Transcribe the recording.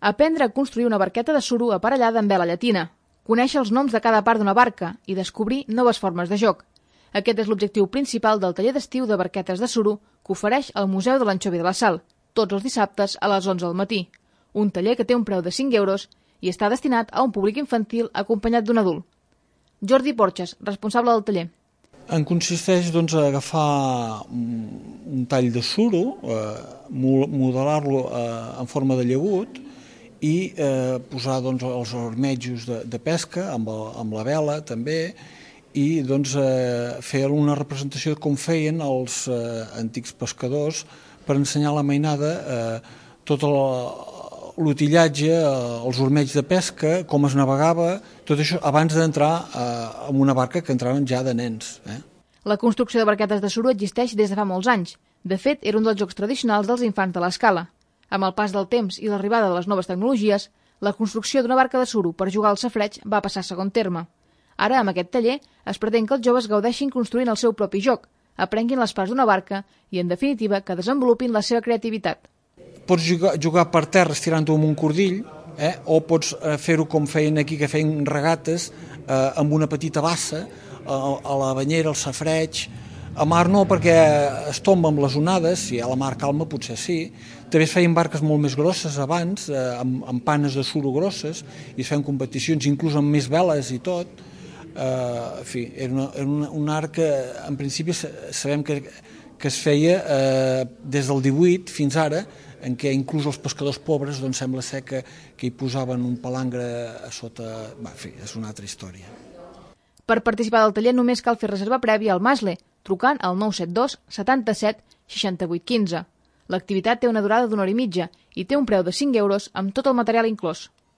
Aprendre a construir una barqueta de suro aparellada amb vela llatina, conèixer els noms de cada part d'una barca i descobrir noves formes de joc. Aquest és l'objectiu principal del taller d'estiu de barquetes de suro que ofereix el Museu de l'Anxovi de la Sal, tots els dissabtes a les 11 del matí. Un taller que té un preu de 5 euros i està destinat a un públic infantil acompanyat d'un adult. Jordi Porxes, responsable del taller. En consisteix a agafar un tall de suro, modelar-lo en forma de llagut i posar els armetjos de pesca amb la vela també i fer una representació de com feien els antics pescadors per ensenyar a la mainada tot l'utillatge, els ormells de pesca, com es navegava, tot això abans d'entrar en una barca que entraven ja de nens. La construcció de barquetes de suro existeix des de fa molts anys. De fet, era un dels jocs tradicionals dels infants de l'escala. Amb el pas del temps i l'arribada de les noves tecnologies, la construcció d'una barca de suro per jugar al safareig va passar a segon terme. Ara, amb aquest taller, es pretén que els joves gaudeixin construint el seu propi joc, aprenguin les parts d'una barca i, en definitiva, que desenvolupin la seva creativitat. Pots jugar per terra estirant-ho amb un cordill, o pots fer-ho com feien aquí, que feien regates amb una petita bassa, a la banyera, al safareig. A mar no, perquè es tomba amb les onades, si hi ha la mar calma potser sí. També es feien barques molt més grosses abans, amb panes de suro grosses, i es feien competicions, inclús amb més veles i tot. En fi, era un art que en principi sabem que es feia des del 18 fins ara, en què inclús els pescadors pobres sembla ser que hi posaven un palangre a sota. En fi, és una altra història. Per participar del taller només cal fer reserva prèvia al Masle, trucant al 972 77 68 15. L'activitat té una durada d'1 hora i mitja i té un preu de 5 euros amb tot el material inclòs.